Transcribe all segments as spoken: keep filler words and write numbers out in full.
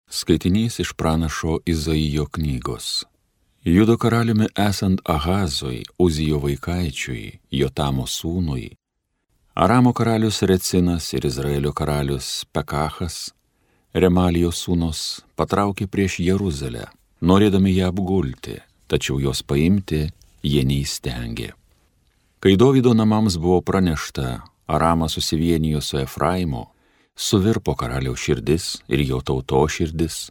Skaitinys iš pranašo Izaijo knygos. Judo karaliumi esant Ahazui, Uzijo vaikaičiui, Jotamo sūnui, Aramo karalius Recinas ir Izraelio karalius Pekachas, Remalijos sūnus, patraukė prieš Jeruzalę, norėdami ją apgulti, tačiau jos paimti jie neįstengė. Kai Dovydo namams buvo pranešta, Aramas susivienijo su Efraimu, suvirpo karaliaus širdis ir jo tauto širdis,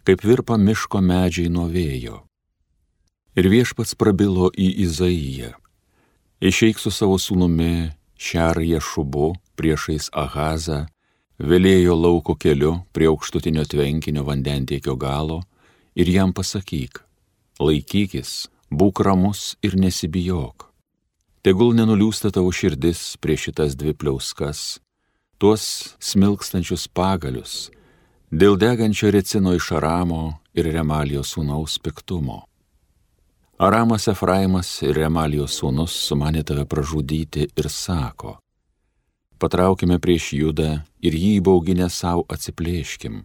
kaip virpa miško medžiai nuo vėjo. Ir viešpats prabilo į Izaiją: išeik su savo sūnumi Šerje Šubu priešais Ahazą, Velėjo lauko keliu prie aukštutinio tvenkinio vandentiekio galo ir jam pasakyk: laikykis, būk ramus ir nesibijok. Tegul nenuliūsta tavo širdis prieš šitas dvi pliauskas, tuos smilkstančius pagalius, dėl degančio Recino iš Aramo ir Remalijos sūnaus piktumo. Aramas Efraimas ir Remalijos sūnus sumanė tave pražudyti ir sako: patraukime prieš Judą ir jį įbauginę savo atsiplėškim,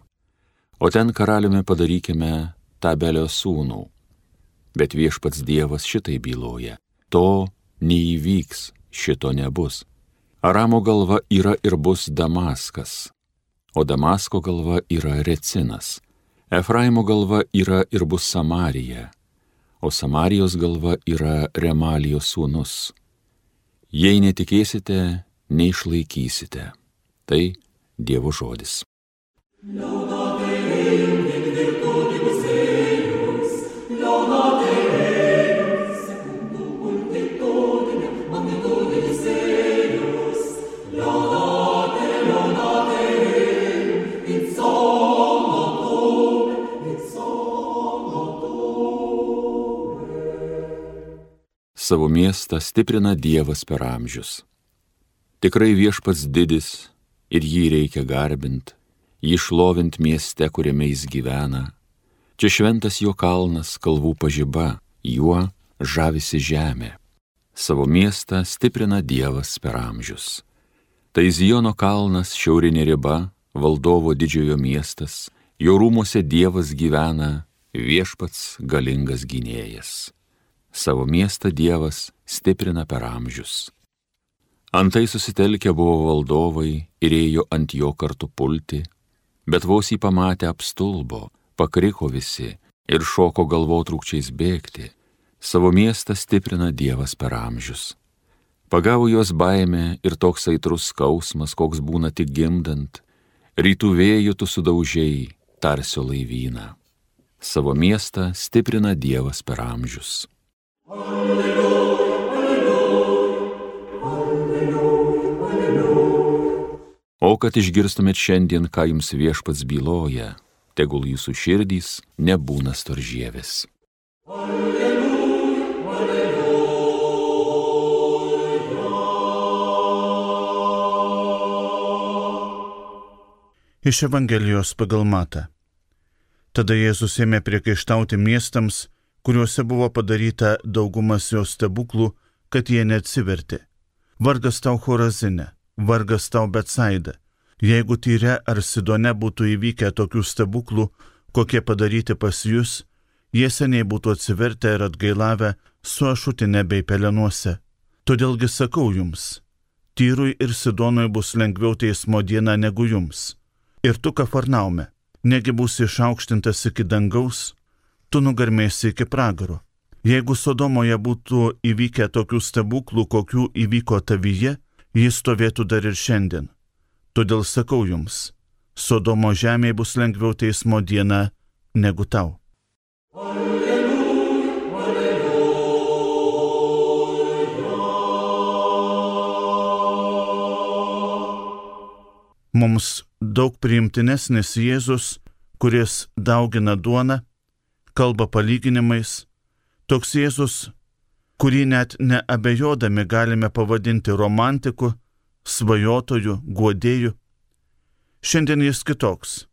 o ten karaliumi padarykime Tabelio sūnų. Bet viešpats Dievas šitai byloja: to neįvyks, šito nebus. Aramo galva yra ir bus Damaskas, o Damasko galva yra Recinas. Efraimo galva yra ir bus Samarija, o Samarijos galva yra Remalijos sūnus. Jei netikėsite, neišlaikysite. Tai Dievo žodis. Savo miestą stiprina Dievas per amžius. Tikrai viešpats didis ir jį reikia garbint, jį šlovint mieste, kuriame jis gyvena. Čia šventas jo kalnas, kalvų pažiba, juo žavisi žemė. Savo miestą stiprina Dievas per amžius. Tai Ziono kalnas, šiaurinė riba, valdovo didžiojo miestas, jo rūmuose Dievas gyvena, viešpats galingas gynėjas. Savo miestą Dievas stiprina per amžius. Antai susitelkę buvo valdovai ir ėjo ant jo kartu pulti, bet vos jį pamatę apstulbo, pakriko visi ir šoko galvotrūkčiais bėgti. Savo miestą stiprina Dievas per amžius. Pagavo jos baimė ir toks aitrus skausmas, koks būna tik gimdant, rytų vėjų tu sudaužiai tarsio laivyną. Savo miestą stiprina Dievas per amžius. Alleluja, alleluja, alleluja, alleluja. O kad išgirstumėt šiandien, ką jums viešpats byloja, tegul jūsų širdys nebūna storžievės. Alleluja, alleluja. Iš Evangelijos pagal Matą. Tada Jėzus ėmė priekaištauti miestams, kuriuose buvo padaryta daugumas jo stebuklų, kad jie neatsivertė. Vargas tau Chorazine, vargas tau Betsaida. Jeigu Tyre ar Sidone būtų įvykę tokių stebuklų, kokie padaryti pas jūs, jie seniai būtų atsivertę ir atgailavę su ašutine bei pelenuose. Todėlgi sakau jums, Tyrui ir Sidonui bus lengviau teismo diena negu jums. Ir tu, Kafarnaume, negi būsi išaukštintas iki dangaus, tu nugarmėsi iki pragaro. Jeigu Sodomoje būtų įvykę tokių stebuklų, kokių įvyko tavyje, jis stovėtų dar ir šiandien. Todėl sakau jums, Sodomo žemėje bus lengviau teismo diena negu tau. Alleluja, alleluja. Mums daug priimtinesnis Jėzus, kuris daugina duoną, kalba palyginimais, toks Jėzus, kurį net neabejodami galime pavadinti romantiku, svajotoju, guodėju. Šiandien jis kitoks.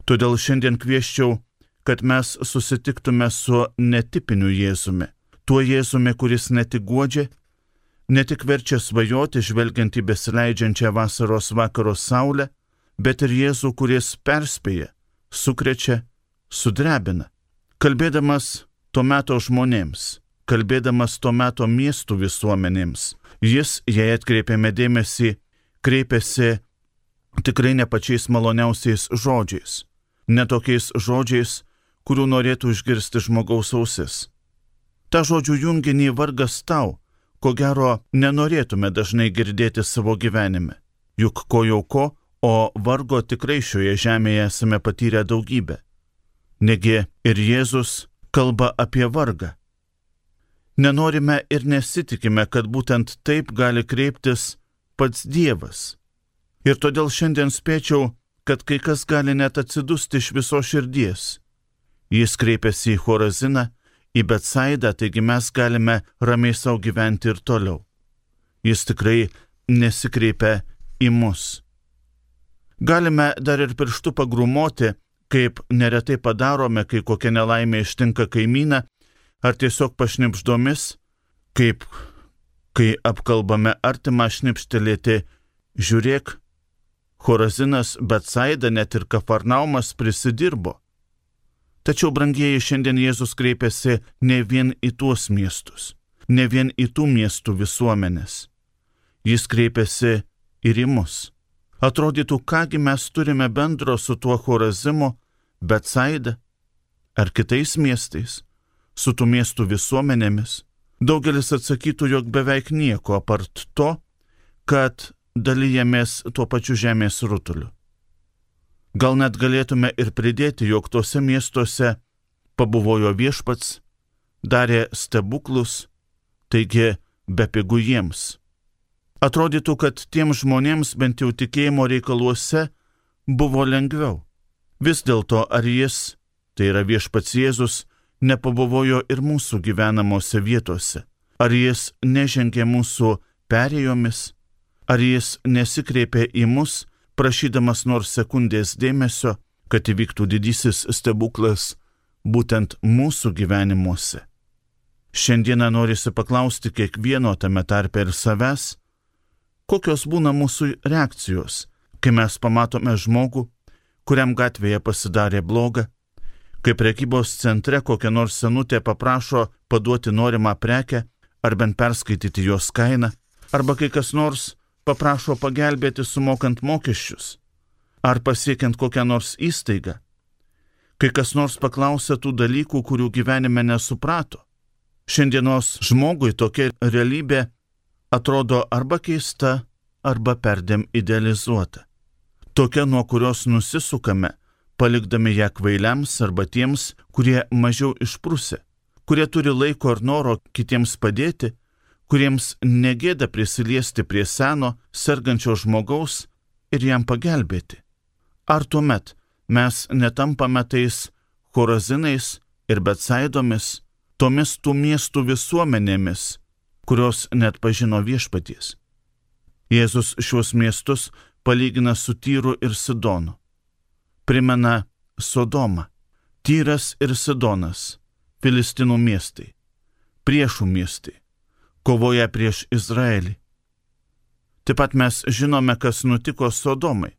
Todėl šiandien kvieščiau, kad mes susitiktume su netipiniu Jėzumi, tuo Jėzumi, kuris ne tik guodžia, ne tik verčia svajoti, žvelgiant į besileidžiančią vasaros vakaro saulę, bet ir Jėzų, kuris perspėja, sukrečia, sudrebina. Kalbėdamas to meto žmonėms, kalbėdamas to meto miestų visuomenėms, jis, jei atkreipėme dėmesį, kreipėsi tikrai ne pačiais maloniausiais žodžiais, ne tokiais žodžiais, kurių norėtų išgirsti žmogaus ausis. Ta žodžių junginį vargas tau, ko gero nenorėtume dažnai girdėti savo gyvenime. Juk ko jau ko, o vargo tikrai šioje žemėje esame patyrę daugybę. Negi ir Jėzus kalba apie vargą. Nenorime ir nesitikime, kad būtent taip gali kreiptis pats Dievas. Ir todėl šiandien spėčiau, kad kai kas gali net atsidusti iš viso širdies. Jis kreipiasi į Choraziną, į Betsaidą, taigi mes galime ramiai savo gyventi ir toliau. Jis tikrai nesikreipia į mus. Galime dar ir pirštu pagrumoti, kaip neretai padarome, kai kokia nelaimė ištinka kaimyną, ar tiesiog pašnipždomis, kaip kai apkalbame artimą šnipštelėti, žiūrėk, Chorazinas, Betsaida, net ir Kafarnaumas prisidirbo. Tačiau, brangieji, šiandien Jėzus kreipiasi ne vien į tuos miestus, ne vien į tų miestų visuomenės. Jis kreipiasi ir į mus. Atrodytų, kągi mes turime bendro su tuo Chorazimu, Betsaida ar kitais miestais, su tų miestų visuomenėmis. Daugelis atsakytų, jog beveik nieko apart to, kad dalyjamės tuo pačiu žemės rutuliu. Gal net galėtume ir pridėti, jog tuose miestuose pabuvojo Viešpats, darė stebuklus, taigi bepigu jiems. Atrodytų, kad tiems žmonėms bent jau tikėjimo reikaluose buvo lengviau. Vis dėlto, ar jis, tai yra Viešpats Jėzus, nepabuvojo ir mūsų gyvenamose vietose? Ar jis nežengė mūsų perėjomis? Ar jis nesikreipė į mus, prašydamas nors sekundės dėmesio, kad įvyktų didysis stebuklas būtent mūsų gyvenimuose? Šiandieną norisi paklausti kiekvieno, tame tarpe ir savęs, kokios būna mūsų reakcijos, kai mes pamatome žmogų, kuriam gatvėje pasidarė bloga, kai prekybos centre kokia nors senutė paprašo paduoti norimą prekę ar bent perskaityti jos kainą, arba kai kas nors paprašo pagelbėti sumokant mokesčius, ar pasiekiant kokią nors įstaigą, kai kas nors paklausia tų dalykų, kurių gyvenime nesuprato. Šiandienos žmogui tokia realybė atrodo arba keista, arba perdėm idealizuota. Tokia, nuo kurios nusisukame, palikdami ją kvailiams arba tiems, kurie mažiau išprusę, kurie turi laiko ir noro kitiems padėti, kuriems negėda prisiliesti prie seno, sergančio žmogaus ir jam pagelbėti. Ar tuomet mes netampame tais Chorazinais ir Betsaidomis, tomis tų miestų visuomenėmis, kurios net pažino Viešpaties? Jėzus šios miestus palygina su Tyru ir Sidonu. Primena Sodomą. Tyras ir Sidonas, Filistinų miestai, priešų miestai, kovoja prieš Izraelį. Taip pat mes žinome, kas nutiko Sodomai.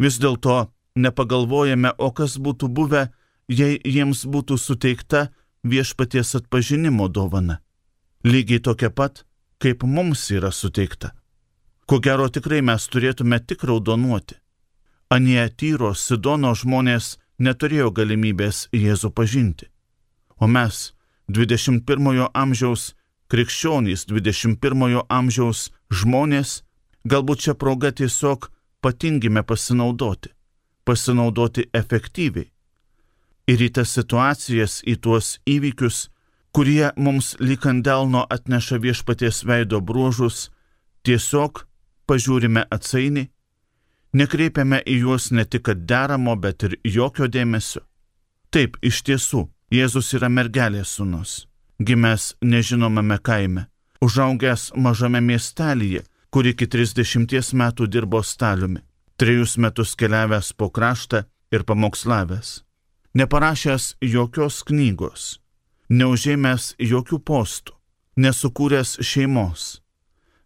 Vis dėlto nepagalvojame, o kas būtų buvę, jei jiems būtų suteikta Viešpaties atpažinimo dovana. Lygiai tokia pat, kaip mums yra suteikta. Ko gero tikrai mes turėtume tik raudonuoti. Anie Tyro, Sidono žmonės neturėjo galimybės Jėzų pažinti. O mes, dvidešimt pirmojo amžiaus krikščionys, dvidešimt pirmojo amžiaus žmonės, galbūt čia proga tiesiog patingime pasinaudoti, pasinaudoti efektyviai. Ir į tas situacijas, į tuos įvykius, kurie mums lyg ant delno atneša Viešpaties veido bruožus, tiesiog pažiūrime atsainiai, nekreipiame į juos ne tik deramo, bet ir jokio dėmesio. Taip, iš tiesų, Jėzus yra mergelės sūnus, gimęs nežinomame kaime, užaugęs mažame miestelyje, kur iki trisdešimties metų dirbo staliumi, trejus metus keliavęs po kraštą ir pamokslavęs, neparašęs jokios knygos, neužėmęs jokių postų, nesukūręs šeimos,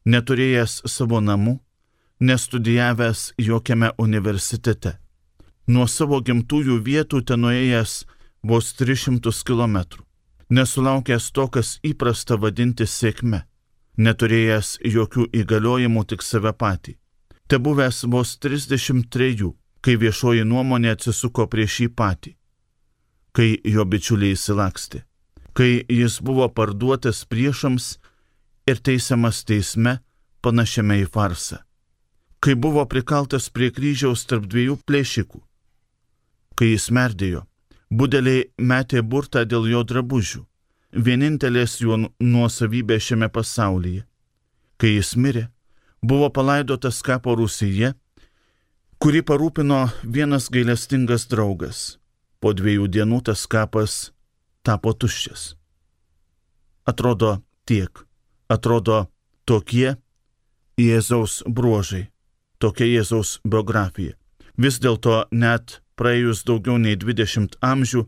neturėjęs savo namų, nestudijavęs jokiame universitete. nuo savo gimtųjų vietų ten nuėjęs vos tris šimtus kilometrų, nesulaukęs to, kas įprasta vadinti sėkme, neturėjęs jokių įgaliojimų, tik save patį. Te buvęs vos trisdešimt trejų, kai viešoji nuomonė atsisuko prieš jį patį, kai jo bičiuliai įsilakstė, kai jis buvo parduotas priešams ir teisiamas teisme panašiame į farsą, kai buvo prikaltas prie kryžiaus tarp dviejų plėšikų, kai jis merdėjo, budeliai metė burtą dėl jo drabužių, vienintelės jo nuosavybė šiame pasaulyje. Kai jis mirė, buvo palaidotas kapo rūsyje, kurį parūpino vienas gailestingas draugas. Po dviejų dienų tas kapas tapo tuščias. Atrodo tiek, atrodo tokie Jėzaus bruožai, tokia Jėzaus biografija. Vis dėlto net praėjus daugiau nei dvidešimt amžių,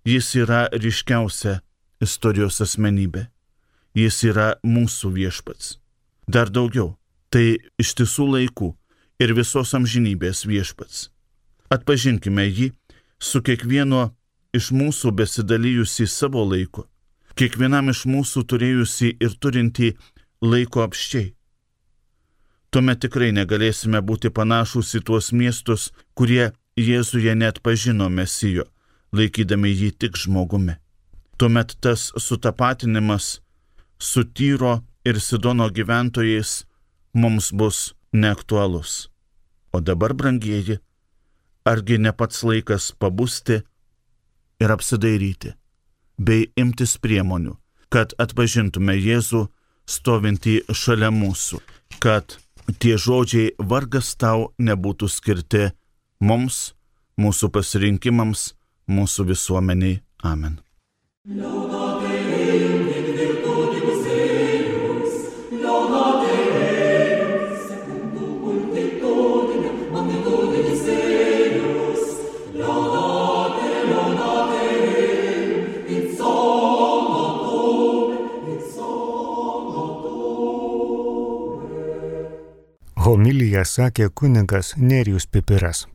jis yra ryškiausia istorijos asmenybė. Jis yra mūsų viešpats. Dar daugiau, tai ištisų laikų ir visos amžinybės viešpats. Atpažinkime jį su kiekvieno iš mūsų besidalijusi savo laiko, kiekvienam iš mūsų turėjusi ir turinti laiko apščiai. Tuomet tikrai negalėsime būti panašūs į tuos miestus, kurie Jėzuje net pažino Mesijo, laikydami jį tik žmogumi. Tuomet tas sutapatinimas su Tyro ir Sidono gyventojais mums bus neaktualus. O dabar, brangieji, argi ne pats laikas pabusti ir apsidairyti, bei imtis priemonių, kad atpažintume Jėzų stovintį šalia mūsų, kad tie žodžiai vargas tau nebūtų skirti mums, mūsų pasirinkimams, mūsų visuomeniai. Amen. Homiliją sakė kunigas Nerijus Pipiras.